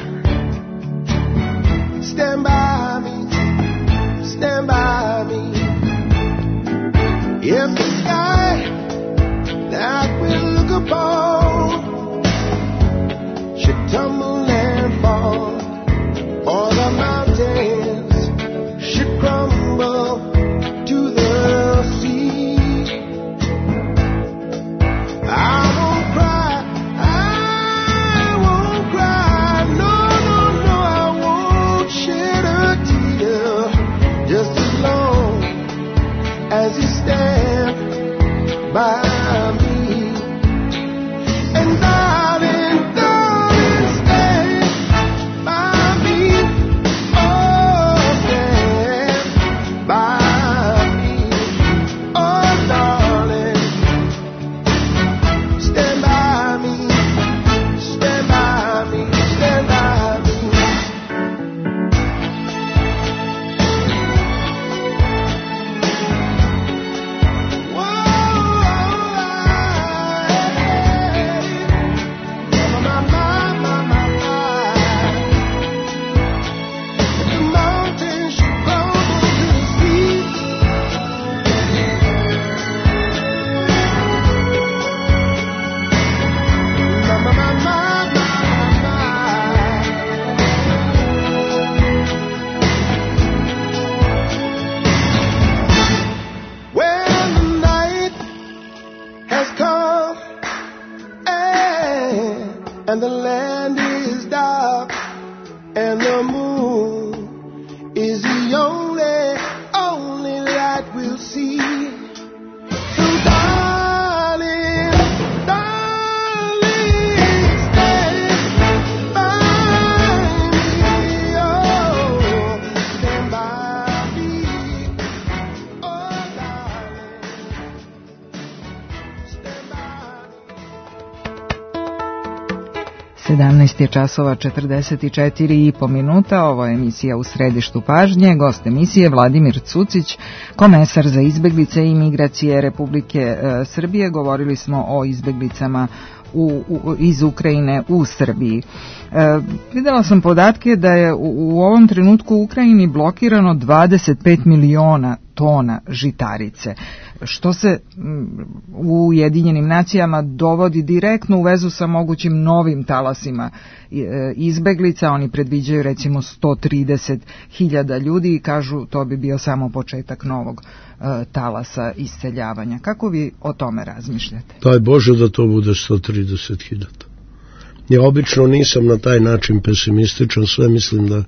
Stand by me. Stand by me. If the sky that we'll look upon should tumble and fall, or the mountains should crumble to the sea, I won't cry, I won't cry, no, no, no, I won't shed a tear, just as long as you stand by me. And darling, darling, stand by me. Oh, stand by me. Oh, darling, stand by me. Stand by me. Stand by me. When the night has come and, and the land is dark and the moon is the only, only light we'll see. So darling, darling, stand by me. Oh, stand by me. Oh, darling, stand by me. sedamnaest je časova četrdeset četiri i po minuta, ovo je emisija U središtu pažnje, gost emisije Vladimir Cucić, komesar za izbeglice i migracije Republike e, Srbije. Govorili smo o izbeglicama u, u, iz Ukrajine u Srbiji. E, videla sam podatke da je u, u ovom trenutku u Ukrajini blokirano dvadeset pet miliona tona žitarice, što se u Ujedinjenim nacijama dovodi direktno u vezu sa mogućim novim talasima izbeglica. Oni predviđaju recimo sto trideset hiljada ljudi i kažu to bi bio samo početak novog talasa isseljavanja. Kako vi o tome razmišljate? Daj Bože da to bude sto trideset hiljada. Ja obično nisam na taj način pesimističan, sve mislim da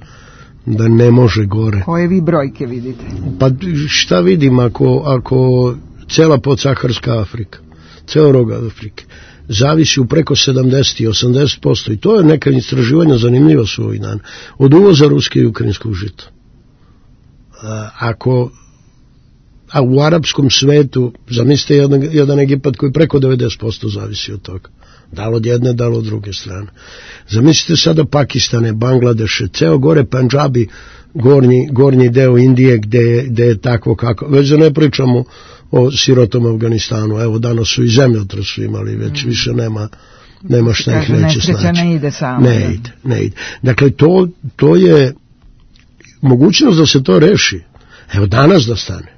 da ne može gore. Koje vi brojke vidite? Pa šta vidim ako, ako cela podsaharska Afrika, ceo rog Afrike, zavisi u preko sedamdeset i osamdeset posto i to je neka istraživanja zanimljiva su ovih dana, od uvoza ruske i ukrajinskog žita. Ako a u arapskom svetu, zamislite jedan, jedan Egipat koji preko devedeset posto zavisi od toga. Da li od jedne, da li od druge strane. Zamislite sada Pakistane, Bangladeše, ceo gore Pandžabi, gornji, gornji deo Indije gde, gde je takvo kako. Već da ne pričamo o sirotom Afganistanu. Evo danas su i zemljotres su imali, već mm. više nema, nema šta ih neće snaći. Ne ide samo. Ne ide, ne ide. Dakle, to, to je mogućnost da se to reši. Evo danas da stane.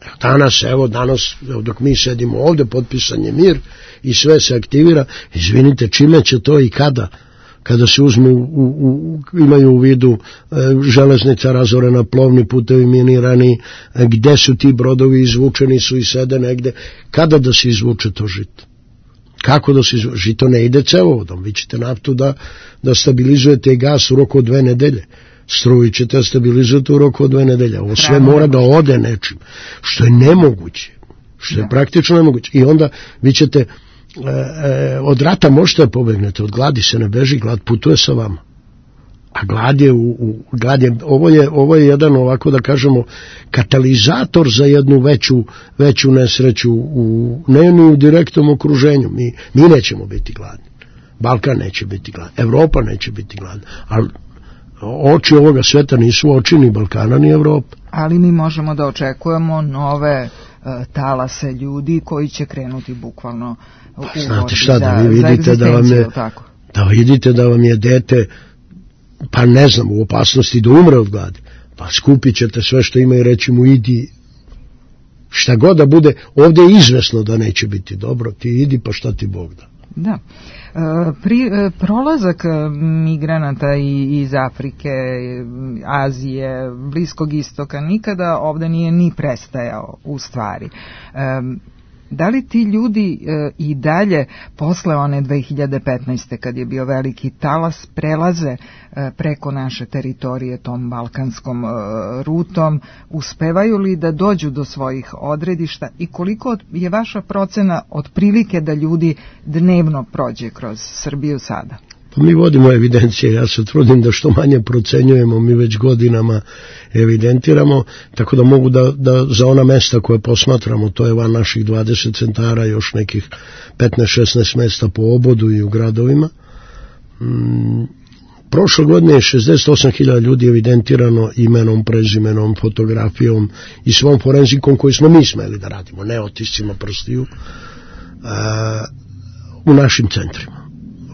Evo danas, evo danas, evo dok mi sedimo ovde, potpisan je mir i sve se aktivira. Izvinite, čime će to i kada? Kada se uzmu, u, u, imaju u vidu e, železnica razorena, plovni putevi minirani, e, gde su ti brodovi izvučeni, su i sede negde. Kada da se izvuče to žito? Kako da se izvuče? Žito ne ide cevovodom. Vi ćete naftu da, da stabilizujete i gas u roku od dve nedelje. Struju ćete stabilizujete u roku od dve nedelje. Ovo sve mora da ode nečim. Što je nemoguće. Što je praktično nemoguće. I onda vi ćete e, e, od rata možete da pobegnete, od gladi se ne beži, glad putuje sa vama. A glad je, u, u, glad je, ovo je, ovo je jedan ovako da kažemo katalizator za jednu veću, veću nesreću u, ne ni u direktnom okruženju. Mi, mi nećemo biti gladni. Balkan neće biti gladan. Evropa neće biti gladna. Ali oči ovoga sveta nisu oči ni Balkana ni Evropa. Ali mi možemo da očekujemo nove uh, talase ljudi koji će krenuti bukvalno u pa, znate šta, da vi vidite da vam je, tako. da vidite da vam je dete, pa ne znam, u opasnosti da umre od gladi, pa skupit ćete sve što ima i reći mu idi, šta god da bude, ovdje je izvesno da neće biti dobro, ti idi pa šta ti Bog da. Da. Pri, prolazak migranata iz Afrike, Azije, Bliskog istoka nikada ovdje nije ni prestajao u stvari. Da li ti ljudi i dalje posle one dve hiljade petnaeste kad je bio veliki talas prelaze preko naše teritorije tom balkanskom rutom, uspevaju li da dođu do svojih odredišta i koliko je vaša procena otprilike da ljudi dnevno prođe kroz Srbiju sada? Pa mi vodimo evidencije, ja se trudim da što manje procenjujemo, mi već godinama evidentiramo, tako da mogu da, da za ona mesta koje posmatramo, to je van naših dvadeset centara, još nekih petnaest šesnaest mesta po obodu i u gradovima. Mm, prošle godine je šezdeset osam hiljada ljudi evidentirano imenom, prezimenom, fotografijom i svom forenzikom koji smo mi smeli da radimo, ne otiscima prstiju, a, u našim centrima.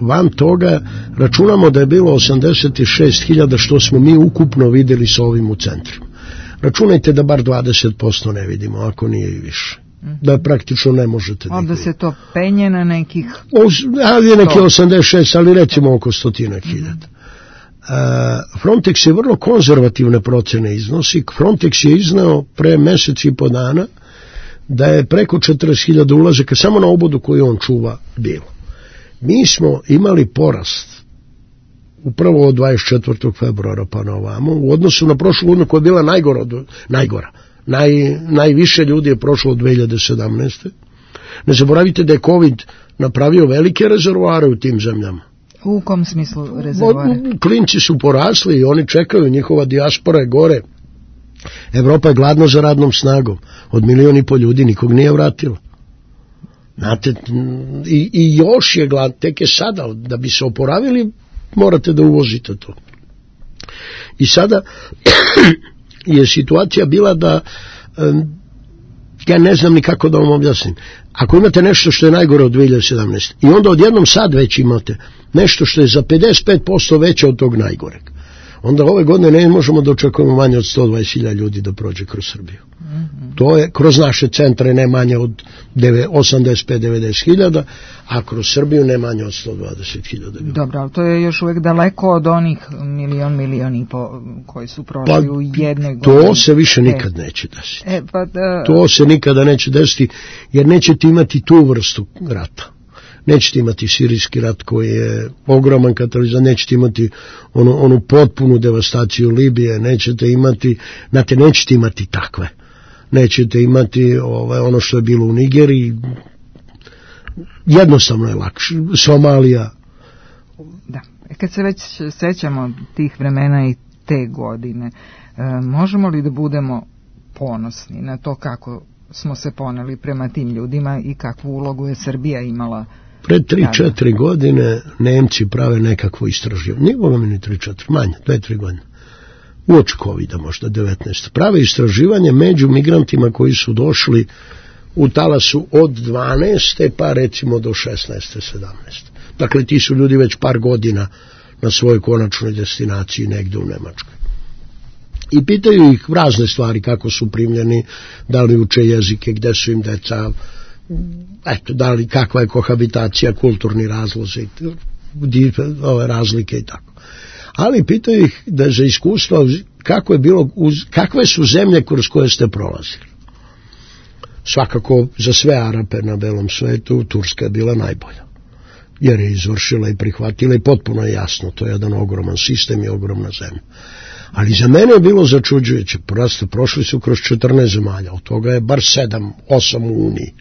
Van toga računamo da je bilo osamdeset šest hiljada što smo mi ukupno videli sa ovim u centrima. Računajte da bar dvadeset posto ne vidimo, ako nije i više. Da praktično ne možete da onda se to penje na nekih ali je neki osamdeset šest, ali recimo oko stotinak hiljada. Frontex je vrlo konzervativne procene iznosi. Frontex je iznao pre mesec i po dana da je preko četrdeset hiljada ulazaka samo na obodu koju on čuva bilo. Mi smo imali porast upravo od dvadeset četvrtog februara pa na ovamo, u odnosu na prošlu godinu koja je bila najgora, najgora. Naj, najviše ljudi je prošlo od dve hiljade sedamnaeste. Ne zaboravite da je COVID napravio velike rezervoare u tim zemljama. U kom smislu rezervoare? Klinci su porasli i oni čekaju, njihova dijaspora je gore. Evropa je gladna za radnom snagom. Od milion i pol ljudi nikog nije vratila. Znate, i, i još je glad, tek je sada, da bi se oporavili, morate da uvozite to. I sada je situacija bila da, ja ne znam ni kako da vam objasnim, ako imate nešto što je najgore od dve hiljade sedamnaeste. i onda odjednom sad već imate nešto što je za pedeset pet posto veće od tog najgoreg, onda ove godine ne možemo da očekujemo manje od sto dvadeset hiljada ljudi da prođe kroz Srbiju. Mm-hmm. To je kroz naše centre ne manje od osamdeset pet do devedeset hiljada, a kroz Srbiju ne manje od sto dvadeset hiljada ljudi. Dobro, ali to je još uvijek daleko od onih milion, milion i po koji su prošli pa, u jednoj godini. To se više nikad e, neće desiti. E, pa, da... To se nikada neće desiti, jer nećete imati tu vrstu rata. Nećete imati sirijski rat koji je ogroman katalizator, nećete imati onu, onu potpunu devastaciju Libije, nećete imati, znate, nećete imati takve. Nećete imati ovaj, ono što je bilo u Nigeriji, jednostavno je lakše. Somalija. Da, kad se već sećamo tih vremena i te godine, e, možemo li da budemo ponosni na to kako smo se poneli prema tim ljudima i kakvu ulogu je Srbija imala? Pred tri četiri godine Nemci prave nekakvo istraživanje. Nije ovo meni tri četiri, manje, dve tri godine. Uoči kovida možda devetnaeste. Prave istraživanje među migrantima koji su došli u talasu od dvanaeste pa recimo do šesnaeste sedamnaeste. Dakle, ti su ljudi već par godina na svojoj konačnoj destinaciji negde u Nemačkoj. I pitaju ih razne stvari, kako su primljeni, da li uče jezike, gde su im deca, eto, da li, kakva je kohabitacija, kulturni razlozi, ove razlike i tako. Ali pitaju ih da za iskustvo kako je bilo, kakve su zemlje kroz koje ste prolazili. Svakako za sve Arape na belom svetu Turska je bila najbolja, jer je izvršila i prihvatila i potpuno je jasno, to je jedan ogroman sistem i ogromna zemlja. Ali za mene je bilo začuđujuće, prosto prošli su kroz četrnaest zemalja, od toga je bar sedam, osam u Uniji,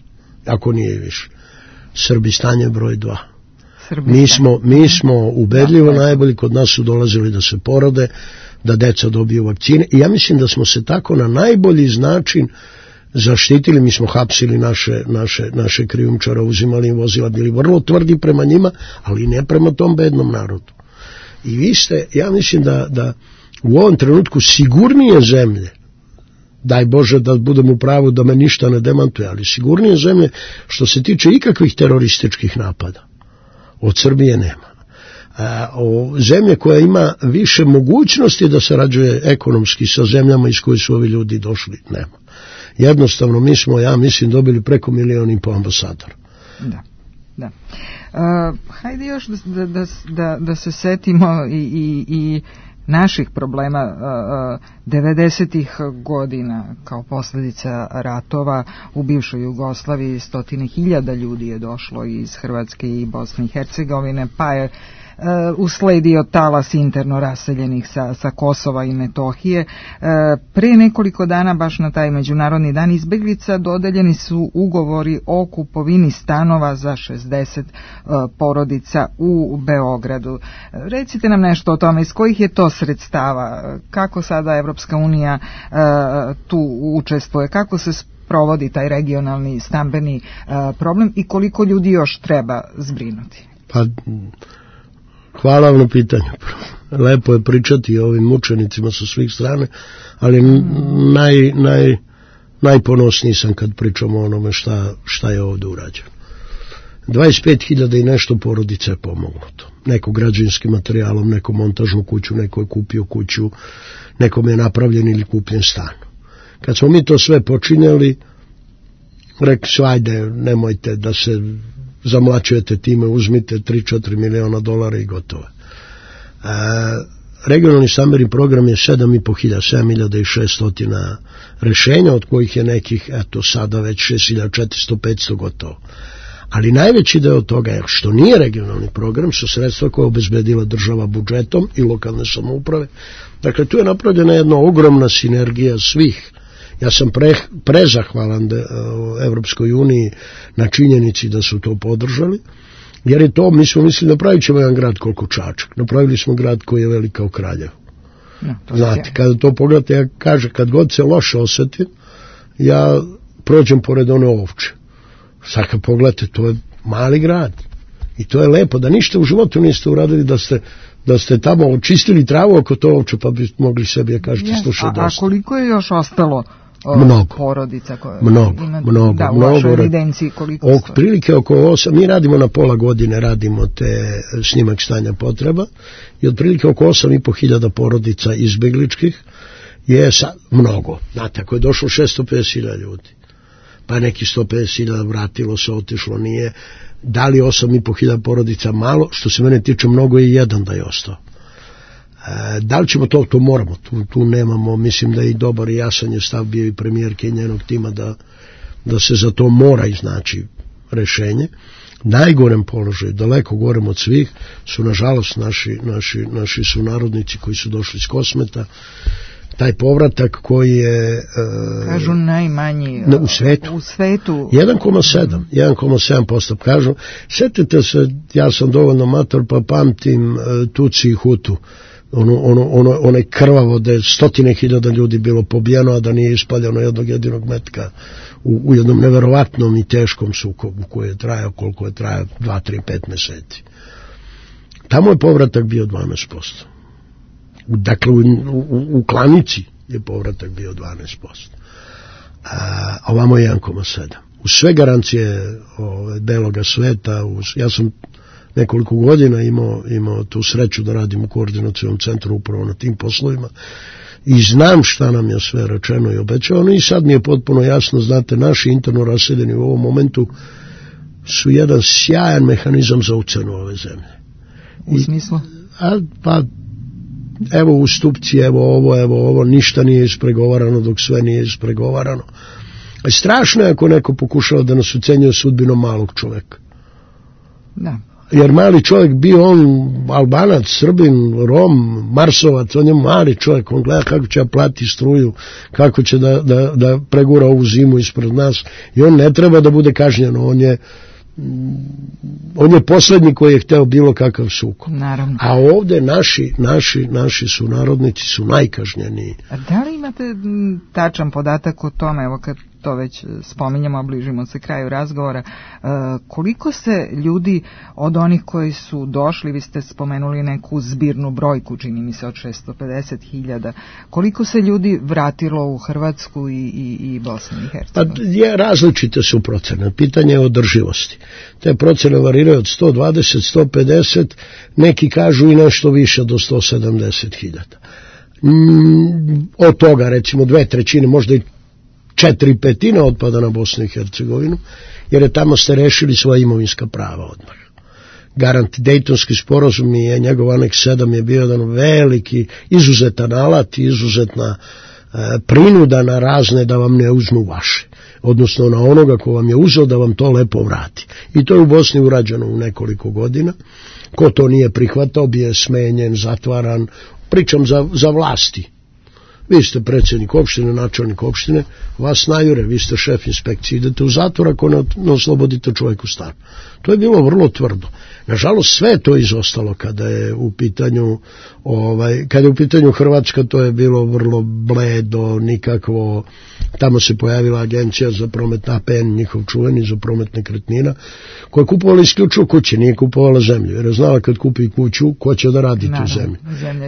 ako nije više. Srbistan je broj dva. Mi smo, mi smo ubedljivo najbolji, kod nas su dolazili da se porode, da deca dobiju vakcine i ja mislim da smo se tako na najbolji način zaštitili. Mi smo hapsili naše, naše, naše krijumčara, uzimali im vozila, bili vrlo tvrdi prema njima, ali ne prema tom bednom narodu. I vi ste, ja mislim da, da u ovom trenutku sigurnije zemlje, daj Bože da budem u pravu da me ništa ne demantuje, ali sigurnije zemlje što se tiče ikakvih terorističkih napada od Srbije nema. A, o zemlje koja ima više mogućnosti da sarađuje ekonomski sa zemljama iz koje su ovi ljudi došli, nema. Jednostavno mi smo, ja mislim, dobili preko milion i po ambasadora. Da, da. Uh, hajde još da, da, da, da se setimo i, i, i naših problema uh, devedesetih godina kao posljedica ratova u bivšoj Jugoslaviji. Stotine hiljada ljudi je došlo iz Hrvatske i Bosne i Hercegovine, pa je Uh, usledio talas interno raseljenih sa, sa Kosova i Metohije. Uh, pre nekoliko dana, baš na taj Međunarodni dan izbeglica, dodeljeni su ugovori o kupovini stanova za šezdeset uh, porodica u Beogradu. Uh, recite nam nešto o tome, iz kojih je to sredstava, kako sada Evropska unija uh, tu učestvuje, kako se provodi taj regionalni stambeni uh, problem i koliko ljudi još treba zbrinuti? Pa... Hvala vam na pitanju. Lepo je pričati o ovim mučenicima sa svih strane, ali naj, naj, najponosniji sam kad pričamo o onome šta, šta je ovdje urađeno. dvadeset pet hiljada i nešto porodica je pomognuto. Neko građevinskim materijalom, neko montažnu kuću, neko je kupio kuću, nekom je napravljen ili kupljen stan. Kad smo mi to sve počinjali, rekli su, ajde, nemojte da se zamlačujete time, uzmite tri četiri miliona dolara i gotovo. E, regionalni stambeni program je sedam i po hiljada, sedam hiljada šesto rešenja, od kojih je nekih, eto, sada već šest hiljada četiristo petsto gotovo. Ali najveći deo toga je, što nije regionalni program, su sredstva koje je obezbedila država budžetom i lokalne samouprave. Dakle, tu je napravljena jedna ogromna sinergija svih. Ja sam pre, prezahvalan de, uh, Evropskoj uniji na činjenici da su to podržali, jer je to, mi smo mislili, napravit ćemo jedan grad koliko Čačak. Napravili smo grad koji je velik kao Kraljevo. No, znate, kada to pogledate, ja kažem, kad god se loše osetim, ja prođem pored one ovče, Sad kad pogledate, to je mali grad. I to je lepo, da ništa u životu niste uradili, da ste, da ste tamo očistili travu oko to ovče, pa bi mogli sebi da kažete yes, slušaj dosta. A koliko je još ostalo o, mnogo, porodica koje mnogo, ima, mnogo, da, u mnogo, vašoj evidenciji koliko ok, prilike oko osam, mi radimo na pola godine, radimo te snimak stanja potreba i otprilike oko osam i po hiljada porodica izbegličkih je sa, mnogo. Znate, ako je došlo šesto pedeset hiljada ljudi, pa neki sto pedeset hiljada vratilo se, otišlo, nije, da li osam i po hiljada porodica malo, što se mene tiče mnogo je jedan da je ostao. E, da li ćemo to, to moramo, tu, tu nemamo, mislim da je i dobar i jasan je stav bio i premijerke i njenog tima da, da se za to mora iznaći rešenje. Najgorem položaju, daleko gorem od svih, su nažalost naši, naši, naši sunarodnici koji su došli iz Kosmeta, taj povratak koji je kažu najmanji na, u svetu, u svetu. jedan zarez sedam posto kažu. Sjetite se, ja sam dovoljno mator pa pamtim uh, Tuci i Hutu, ono, ono, ono, onaj krvavo da je stotine hiljada ljudi bilo pobijeno, a da nije ispaljeno jednog jedinog metka u, u jednom neverovatnom i teškom sukobu koji je trajao koliko je trajao dva, tri, pet meseci. Tamo je povratak bio dvanaest posto. Dakle, u, u, u klanici je povratak bio dvanaest posto. A ovamo je jedan zarez sedam. U sve garancije ove, beloga sveta, uz, ja sam nekoliko godina imao, imao tu sreću da radim u koordinacijom centru upravo na tim poslovima i znam šta nam je sve rečeno i obećavano i sad mi je potpuno jasno, znate, naši interno raseljeni u ovom momentu su jedan sjajan mehanizam za ucenu ove zemlje. U smislu? A, pa, evo ustupci, evo ovo, evo ovo, ništa nije ispregovarano dok sve nije ispregovarano. A strašno je ako neko pokušava da nas ucenjuje sudbinom malog čoveka. Da. Jer mali čovjek bio on Albanac, Srbin, Rom, Marsovac, on je mali čovjek, on gleda kako će plati struju, kako će da, da, da pregura ovu zimu ispred nas i on ne treba da bude kažnjen, on je on je poslednji koji je hteo bilo kakav sukob. Naravno. A ovde naši, naši, naši sunarodnici su najkažnjeniji. A da li imate tačan podatak o tome, evo kad to već spominjamo, bližimo se kraju razgovora, koliko se ljudi od onih koji su došli, vi ste spomenuli neku zbirnu brojku, čini mi se od šesto pedeset hiljada, koliko se ljudi vratilo u Hrvatsku i, i, i Bosnu i Hercegovinu? Pa je, različite su procene, pitanje je održivosti. Te procene variraju od sto dvadeset do sto pedeset, neki kažu i nešto više do sto sedamdeset hiljada. Mm, od toga recimo dve trećine, možda i četiri petine otpada na Bosnu i Hercegovinu, jer je tamo ste rešili svoja imovinska prava odmah. Garant Dejtonski sporazum i njegov aneks sedam je bio jedan veliki, izuzetan alat, izuzetna e, prinuda na razne da vam ne uzmu vaše, odnosno na onoga ko vam je uzeo da vam to lepo vrati. I to je u Bosni urađeno u nekoliko godina. Ko to nije prihvatao, bio je smenjen, zatvaran, pričam za, za vlasti. Vi ste predsjednik opštine, načelnik opštine, vas najure, vi ste šef inspekcije, idete u zatvor ako ne, ne oslobodite čovjeku stan. To je bilo vrlo tvrdo. Nažalost, sve to izostalo kada je u pitanju ovaj, kada je u pitanju Hrvatska, to je bilo vrlo bledo, nikakvo. Tamo se pojavila agencija za promet A P N, njihov čuveni za promet nekretnina, koja je kupovala isključivo kuće, nije kupovala zemlju, jer je znala kad kupi kuću, ko će da radi tu zemlju.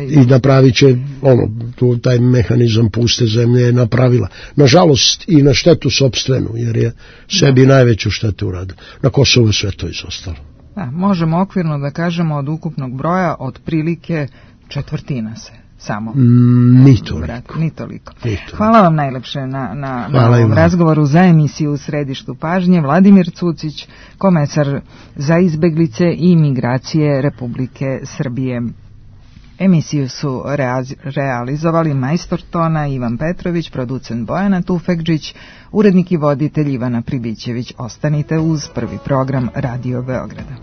I napravit će, ono, tu, taj mehanizam puste zemlje je napravila. Nažalost, i na štetu sopstvenu, jer je sebi najveću štetu uradila. Na Kosovu sve to izostalo. Da, možemo okvirno da kažemo od ukupnog broja otprilike četvrtina se samo. Mm, ni toliko. Ni toliko. Hvala vam najlepše na, na, na ovom vam. razgovoru za emisiju U središtu pažnje. Vladimir Cucić, komesar za izbeglice i migracije Republike Srbije. Emisiju su realizovali majstor tona Ivan Petrović, producent Bojana Tufekđić, urednik i voditelj Ivana Pribićević. Ostanite uz prvi program Radio Beograda.